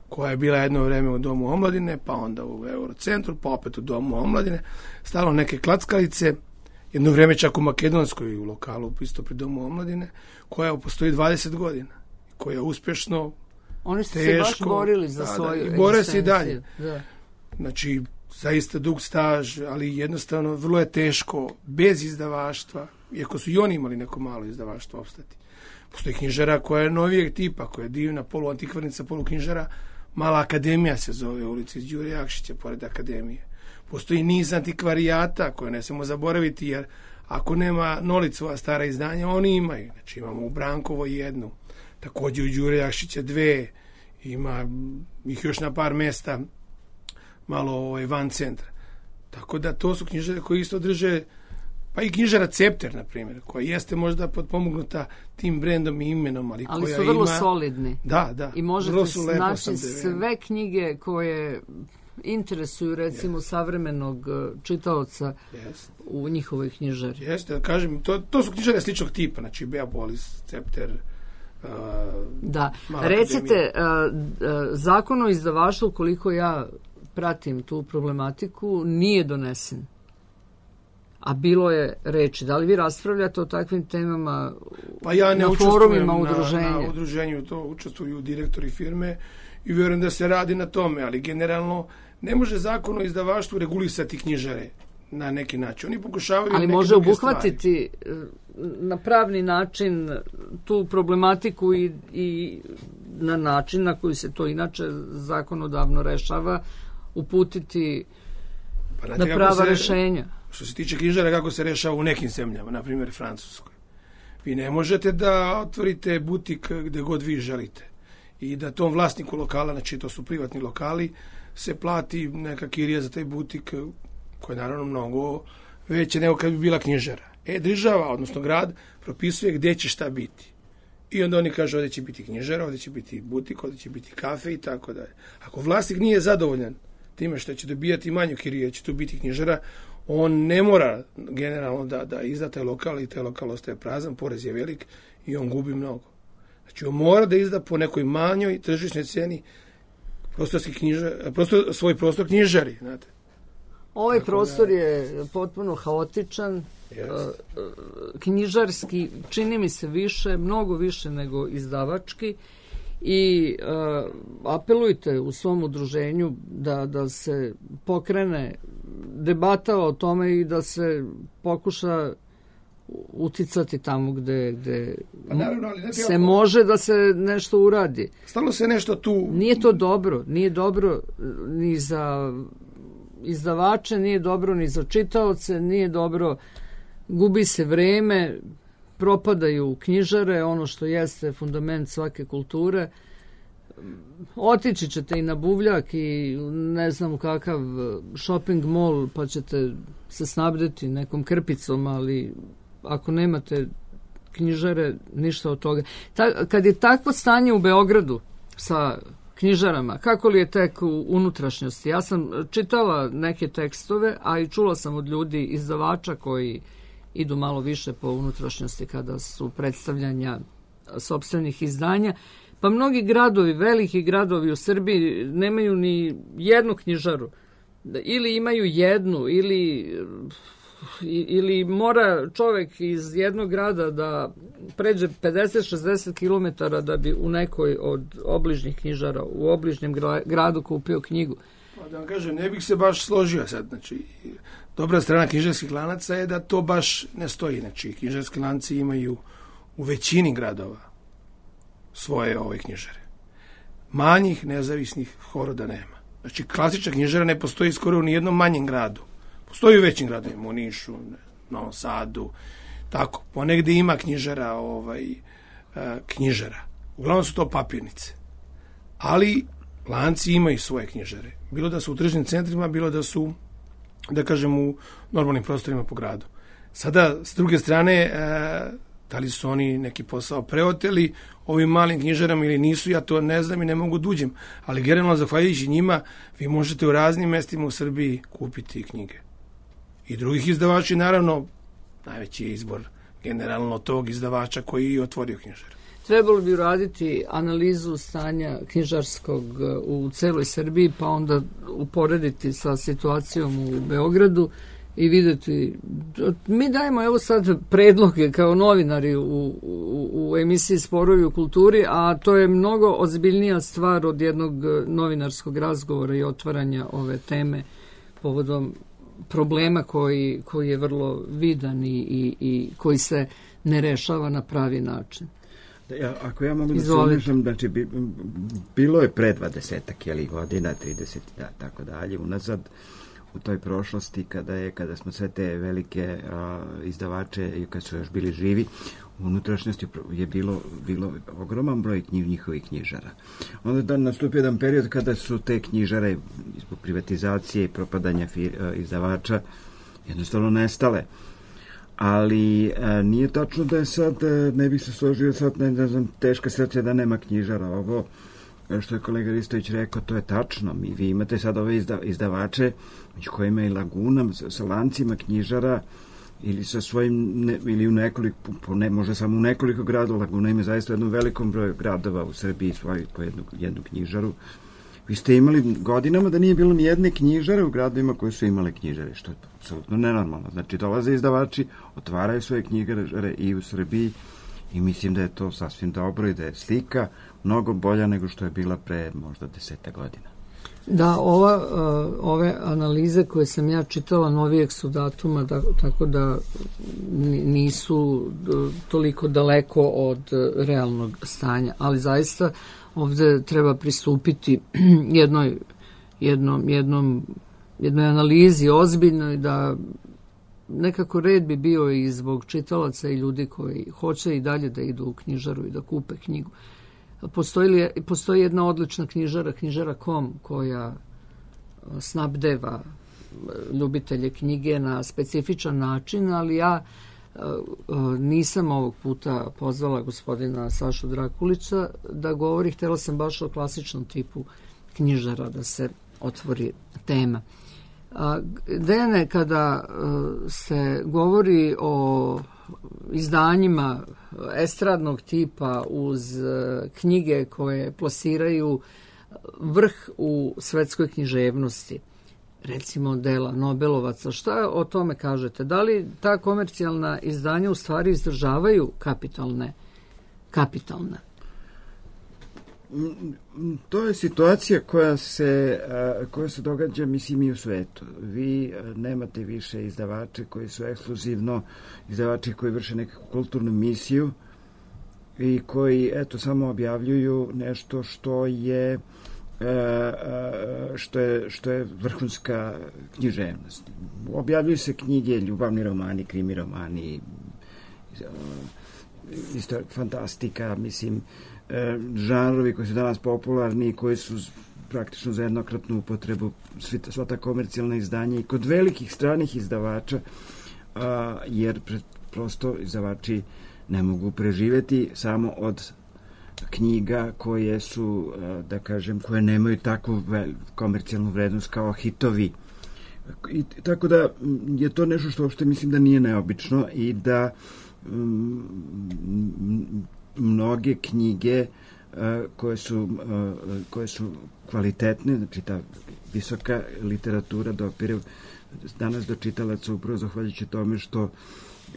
koja je bila jedno vreme u Domu omladine, pa onda u Eurocentru, pa opet u Domu omladine. Stalo neke klackalice, jedno vreme čak u Makedonskoj, u lokalu, isto pri Domu omladine, koja postoji dvadeset godina, koja uspješno, oni su teško, se baš borili za da, svoju da, i bore se i dalje. Da. Znači, zaista dug staž, ali jednostavno vrlo je teško, bez izdavaštva, iako su i oni imali neko malo izdavaštvo opstati. Postoji knjižara koja je novijeg tipa, koja je divna, poluantikvarnica, poluknjižara, Mala akademija se zove, u ulici Đure Jakšića, pored akademije. Postoji niz antikvarijata koje ne smemo zaboraviti, jer ako nema Nolicova stara izdanja, oni imaju. Znači imamo u Brankovo jednu, također u Đure Jakšića dve, ima ih još na par mesta malo ovaj, van centra. Tako da to su knjižare koje isto drže, pa i knjižara Cepter, na primjer, koja jeste možda potpomognuta tim brendom i imenom, ali, ali koja su vrlo ima... solidni. Da, da. I možete naći sve knjige koje interesuju, recimo, savremenog čitaoca yes. u njihovoj knjižari. Jeste, da kažem, to, to su knjižare sličnog tipa, znači Beopolis, Cepter, uh, da. Recite, uh, uh, zakon o izdavaštvu, koliko ja pratim tu problematiku, nije donesen. A bilo je reči. Da li vi raspravljate o takvim temama pa ja ne na forumima udruženja? Na, na udruženju to učestvuju direktori firme i vjerujem da se radi na tome, ali generalno ne može zakon o izdavaštvu regulisati knjižare na neki način. Oni pokušavaju ali neke može druge obuhvatiti stvari na pravni način tu problematiku i, i na način na koji se to inače zakonodavno rešava, uputiti pa na prava rešenja. Što se tiče knjižara, kako se rešava u nekim zemljama, na primjer Francuskoj. Vi ne možete da otvorite butik gde god vi želite i da tom vlasniku lokala, znači to su privatni lokali, se plati neka kirija za taj butik koja je naravno mnogo veća nego kad bi bila knjižara. E, država, odnosno grad, propisuje gde će šta biti. I onda oni kažu ovdje će biti knjižara, ovdje će biti butik, ovdje će biti kafe i tako dalje. Ako vlasnik nije zadovoljan time što će dobijati manju kiriju, će tu biti knjižara, on ne mora generalno da, da izda taj lokal i taj lokal ostaje prazan, porez je velik i on gubi mnogo. Znači on mora da izda po nekoj manjoj tržišnoj ceni prostorski knjižar, prostor, svoj prostor knjižari, znate. Ovaj Tako prostor da, je potpuno haotičan, Yes. knjižarski, čini mi se više, mnogo više nego izdavački i uh, apelujte u svom udruženju da, da se pokrene debata o tome i da se pokuša uticati tamo gde, gde pa naravno, ali ne se oko... može da se nešto uradi. Stalno se nešto tu... Nije to dobro, nije dobro ni za izdavače, nije dobro ni za čitaoce, nije dobro, gubi se vreme, propadaju knjižare, ono što jeste fundament svake kulture. Otići ćete i na buvljak i ne znam kakav shopping mall, pa ćete se snabdeti nekom krpicom, ali ako nemate knjižare, ništa od toga. Ta, kad je takvo stanje u Beogradu sa knjižarama, kako li je tek u unutrašnjosti? Ja sam čitala neke tekstove, a i čula sam od ljudi izdavača koji idu malo više po unutrašnjosti kada su predstavljanja sopstvenih izdanja. Pa mnogi gradovi, veliki gradovi u Srbiji nemaju ni jednu knjižaru. Ili imaju jednu, ili, ili mora čovek iz jednog grada da pređe pedeset do šezdeset kilometara da bi u nekoj od obližnjih knjižara, u obližnjem gradu kupio knjigu. Pa da vam kažem, ne bih se baš složio sad. Znači, dobra strana knjižarskih lanaca je da to baš ne stoji. Znači, knjižarski lanci imaju u većini gradova svoje ove knjižare. Manjih nezavisnih horoda nema. Znači, klasična knjižara ne postoji skoro u nijednom manjem gradu. Postoji u većim gradovima, u Nišu, Novom Sadu, tako. Ponegde ima knjižara, ovaj, knjižara. Uglavnom su to papirnice. Ali lanci imaju svoje knjižare. Bilo da su u tržnim centrima, bilo da su, da kažem, u normalnim prostorima po gradu. Sada, s druge strane, e, da li su oni neki posao preoteli ovim malim knjižarama ili nisu, ja to ne znam i ne mogu da uđem. Ali generalno, zahvaljujući njima, vi možete u raznim mestima u Srbiji kupiti knjige. I drugih izdavača, naravno, najveći je izbor generalno tog izdavača koji je otvorio knjižar. Trebalo bi uraditi analizu stanja knjižarskog u celoj Srbiji, pa onda uporediti sa situacijom u Beogradu i videti. Mi dajemo evo sad predloge kao novinari u, u, u emisiji Sporovi u kulturi, a to je mnogo ozbiljnija stvar od jednog novinarskog razgovora i otvaranja ove teme povodom problema koji, koji je vrlo vidan i, i, i koji se ne rešava na pravi način. Ja, ako ja mogu da se umešam, znači, bi, bilo je pre dvadesetak jeli, godina, trideset, da, tako dalje, unazad, u toj prošlosti, kada je, kada smo sve te velike a, izdavače, i kad su još bili živi, u unutrašnjosti je bilo, bilo ogroman broj knjiv, njihovih knjižara. Onda da nastupio jedan period kada su te knjižare, zbog privatizacije i propadanja fir, a, izdavača, jednostavno nestale. Ali a, nije tačno da je sad, a, ne bih se složio sad, ne, ne znam, teška sreća da nema knjižara. Ovo, što je kolega Ristović rekao, to je tačno. Mi, vi imate sad ove izda, izdavače, među kojima i Laguna, sa, sa lancima knjižara, ili sa svojim, ne, ili u nekoliko, po ne, možda samo u nekoliko gradova. Laguna ima zaista jednom velikom broju gradova u Srbiji svoju, po jednu, jednu knjižaru. Vi ste imali godinama da nije bilo ni jedne knjižare u gradovima koje su imale knjižare, što je apsolutno nenormalno. Znači, dolaze izdavači, otvaraju svoje knjižare i u Srbiji i mislim da je to sasvim dobro i da je slika mnogo bolja nego što je bila pre možda deseta godina. Da, ova, ove analize koje sam ja čitala novijeg su datuma, da, tako da nisu toliko daleko od realnog stanja, ali zaista ovde treba pristupiti jednoj, jednom, jednom, jednoj analizi ozbiljnoj, da nekako red bi bio i zbog čitalaca i ljudi koji hoće i dalje da idu u knjižaru i da kupe knjigu. Postoji, li, postoji jedna odlična knjižara, knjižara kome kom, koja snabdeva ljubitelje knjige na specifičan način, ali ja Nisam ovog puta pozvala gospodina Sašu Drakulića da govori, htjela sam baš o klasičnom tipu knjižara da se otvori tema. Dejane, kada se govori o izdanjima estradnog tipa uz knjige koje plasiraju vrh u svetskoj književnosti, recimo dela Nobelovaca, šta o tome kažete? Da li ta komercijalna izdanja u stvari izdržavaju kapitalne? kapitalne? To je situacija koja se, koja se događa, mislim, i u svetu. Vi nemate više izdavače koji su ekskluzivno izdavači koji vrše neku kulturnu misiju i koji, eto, samo objavljuju nešto što je što je, što je vrhunska književnost. Objavljuju se knjige, ljubavni romani, krimi romani, isto fantastika, mislim, žanrovi koji su danas popularni i koji su praktično za jednokratnu upotrebu, sva ta komercijalna izdanja i kod velikih stranih izdavača, jer prosto izdavači ne mogu preživeti samo od knjiga koje su, da kažem, koje nemaju takvu komercijalnu vrednost kao hitovi. I, tako da je to nešto što uopšte mislim da nije neobično i da um, mnoge knjige uh, koje su, uh, koje su kvalitetne, znači ta visoka literatura dopire danas do čitalaca upravo zahvaljujući tome što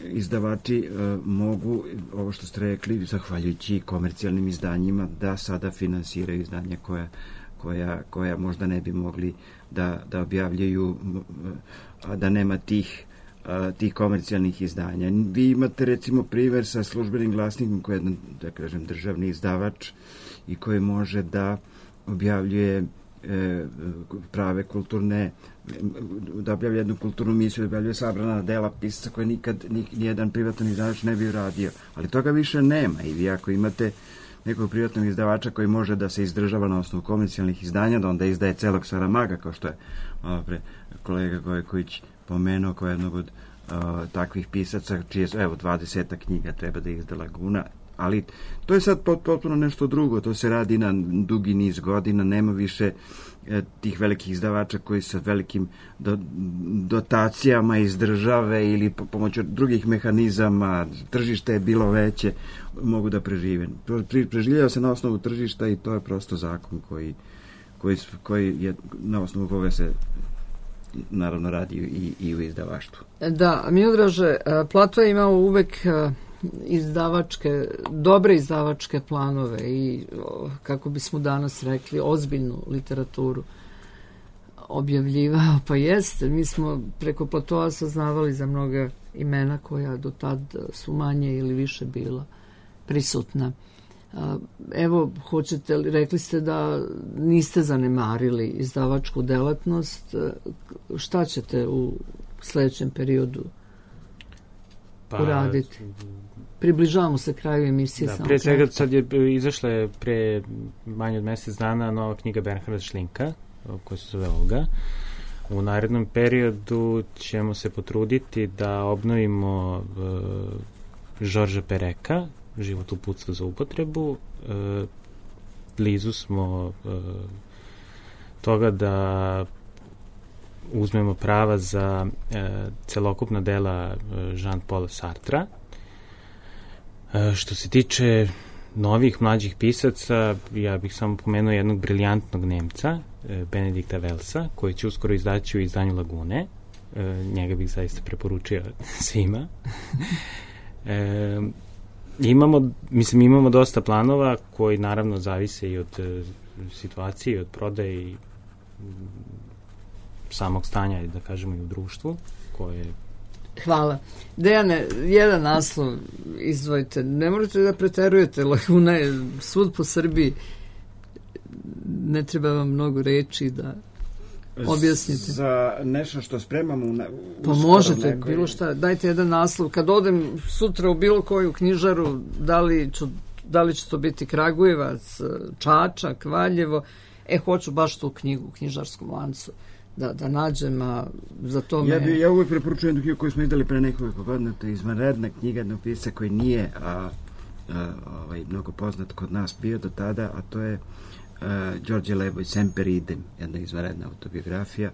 izdavači uh, mogu, ovo što ste rekli, zahvaljujući komercijalnim izdanjima, da sada finansiraju izdanja koja, koja, koja možda ne bi mogli da, da objavljaju, a da nema tih, a, tih komercijalnih izdanja. Vi imate recimo primjer sa Službenim glasnikom koji je jedan, da kažem, državni izdavač i koji može da objavljuje e, prave kulturne, da objavlja jednu kulturnu misiju, da objavljuje sabrana dela pisaca koje nikad nijedan privatan izdavač ne bi uradio. Ali toga više nema i vi ako imate nekog privatnog izdavača koji može da se izdržava na osnovu komercijalnih izdanja, da onda izdaje celog Saramaga, kao što je malo pre kolega Gojković pomenuo, kao jednog od uh, takvih pisaca, čije su, evo, dvadeseta knjiga treba da izda Laguna, ali to je sad potpuno nešto drugo, to se radi na dugi niz godina, nema više e, tih velikih izdavača koji sa velikim do, dotacijama iz države ili po, pomoću drugih mehanizama, tržište je bilo veće, mogu da prežive. Pre, preživljava se na osnovu tržišta i to je prosto zakon koji, koji, koji je, na osnovu koga se naravno radi i, i u izdavaštvu. Da, Miodraže, Plato je imao uvek izdavačke, dobre izdavačke planove i, kako bismo danas rekli, ozbiljnu literaturu objavljivao, pa jeste. Mi smo preko Platoa saznavali za mnoga imena koja do tad su manje ili više bila prisutna. Evo, hoćete li, rekli ste da niste zanemarili izdavačku delatnost. Šta ćete u sledećem periodu pa, uraditi? Približavamo se kraju emisije. Da, pre svega sad je izašla je pre manje od mesec dana nova knjiga Bernharda Šlinka, koja se zove Olga. U narednom periodu ćemo se potruditi da obnovimo uh, Žorža Pereka, Život uputstva za upotrebu. Uh, blizu smo uh, toga da uzmemo prava za uh, celokupna dela uh, Jean-Paula Sartra. Uh, što se tiče novih mlađih pisaca, ja bih samo pomenuo jednog briljantnog Nemca, Benedikta Velsa, koji će uskoro izdaći u izdanju Lagune. E, njega bih zaista preporučio svima. e, imamo, mislim, imamo dosta planova koji naravno zavise i od e, situacije, i od prodaje i samog stanja, da kažemo, i u društvu, koje... Hvala. Dejane, jedan naslov izdvojite. Ne možete da preterujete, Laguna je svud po Srbiji. Ne treba vam mnogo reči da objasnite. Za nešto što spremamo u, u pa možete, nekoj... bilo šta. Dajte jedan naslov. Kad odem sutra u bilo koju knjižaru, da li, ću, da li će to biti Kragujevac, Čačak, Valjevo, e, hoću baš tu knjigu u knjižarskom lancu da, da nađem, a za to me... Ja, bi, ja uvijek preporučujem knjigu koju smo izdali pre nekoliko godina, to je izvanredna knjiga jednog pisca koji nije a, a, ovaj, mnogo poznat kod nas bio do tada, a to je a, Đorđe Leboj, Semper idem, jedna izvanredna autobiografija.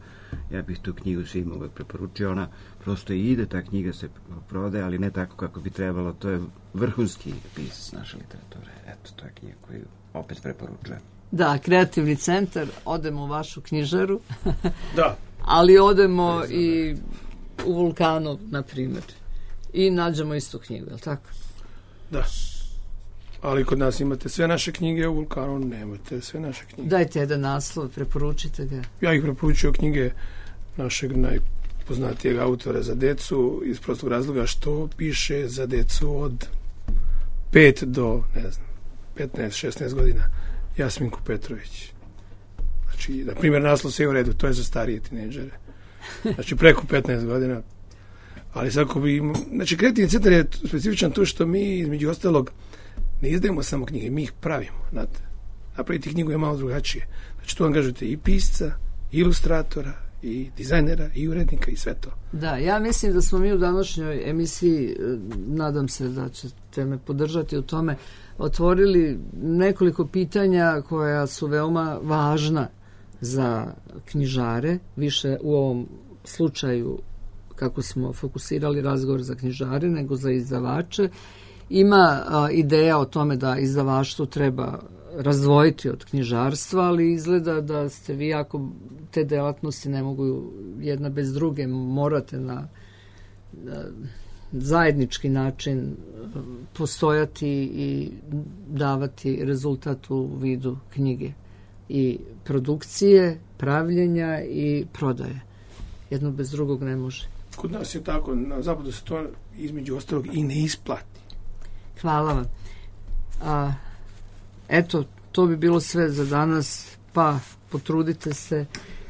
Ja bih tu knjigu svima uvijek preporučio, ona prosto i ide, ta knjiga se prodaje, ali ne tako kako bi trebalo, to je vrhunski pisac naše literature. Eto, to je knjiga koju opet preporučujem. Da, Kreativni centar, odemo u vašu knjižaru, da. ali odemo i u Vulkanov, na primjer, i nađemo istu knjigu, je li tako? Da. Ali kod nas imate sve naše knjige, u Vulkanu nemate sve naše knjige. Dajte jedan naslov, preporučite ga. Ja ih preporučio knjige našeg najpoznatijeg autora za decu iz prostog razloga što piše za decu od pet do, ne znam, petnaest šesnaest godina. Jasminku Petrović. Znači, na primjer, naslov sve u redu, to je za starije tinejdžere. Znači, preko petnaest godina. Ali svako bi... Znači, Kreativni centar je specifičan to što mi, između ostalog, ne izdajemo samo knjige, mi ih pravimo. Znate, napraviti knjigu je malo drugačije. Znači, tu angažujete i pisca, i ilustratora, i dizajnera, i urednika, i sve to. Da, ja mislim da smo mi u današnjoj emisiji, nadam se da ćete me podržati u tome, otvorili nekoliko pitanja koja su veoma važna za knjižare, više u ovom slučaju kako smo fokusirali razgovor za knjižare nego za izdavače. Ima a, ideja o tome da izdavaštvo treba razdvojiti od knjižarstva, ali izgleda da ste vi, ako te delatnosti ne mogu jedna bez druge, morate na, na zajednički način postojati i davati rezultat u vidu knjige i produkcije, pravljenja i prodaje. Jedno bez drugog ne može. Kod nas je tako, na zapadu se to između ostalog i ne isplati. Hvala vam. A, eto, to bi bilo sve za danas, pa potrudite se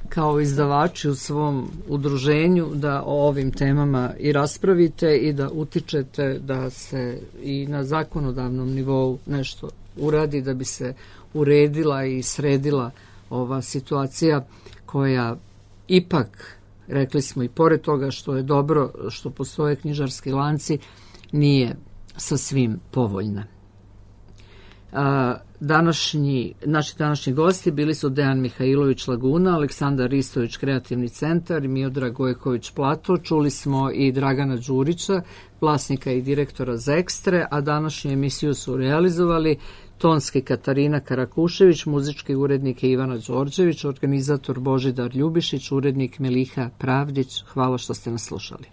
kao izdavači u svom udruženju da o ovim temama i raspravite i da utičete da se i na zakonodavnom nivou nešto uradi, da bi se uredila i sredila ova situacija koja ipak, rekli smo i pored toga što je dobro što postoje knjižarski lanci, nije sa svim povoljna. A, današnji, naši današnji gosti bili su Dejan Mihajlović Laguna, Aleksandar Ristović Kreativni centar i Miodrag Gojković Plato. Čuli smo i Dragana Đurića, vlasnika i direktora Zekstre, a današnju emisiju su realizovali tonski Katarina Karakušević, muzički urednik Ivana Đorđević, organizator Božidar Ljubišić, urednik Meliha Pravdić. Hvala što ste nas slušali.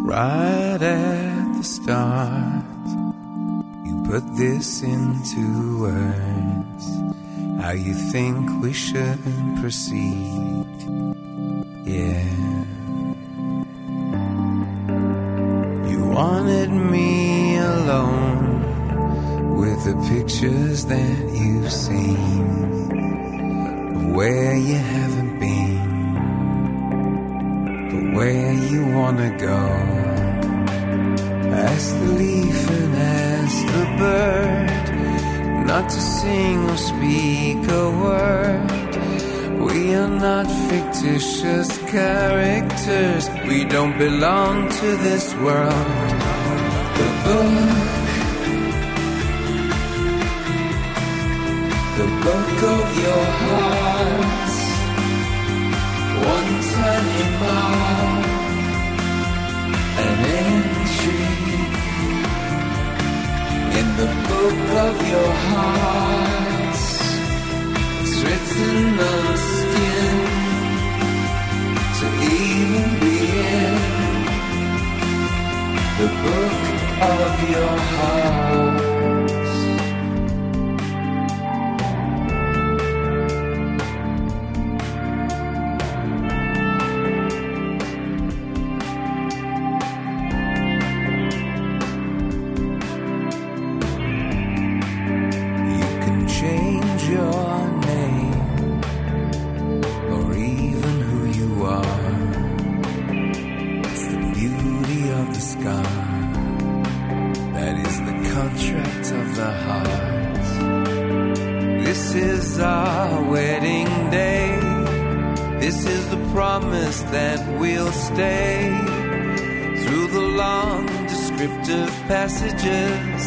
Right at the start, you put this into words, how you think we should proceed, yeah. You wanted me alone with the pictures that you've seen of where you haven't been, but where you wanna go. Ask the leaf and ask the bird not to sing or speak a word. We are not fictitious characters. We don't belong to this world. The book, the book of your heart, one tiny mark, an entry in the book of your heart. It's written on skin to even begin. The book of your heart. contract of the heart. This is our wedding day. This is the promise that we'll stay through the long descriptive passages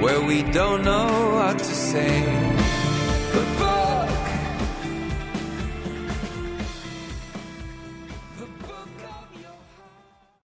where we don't know what to say. But boy,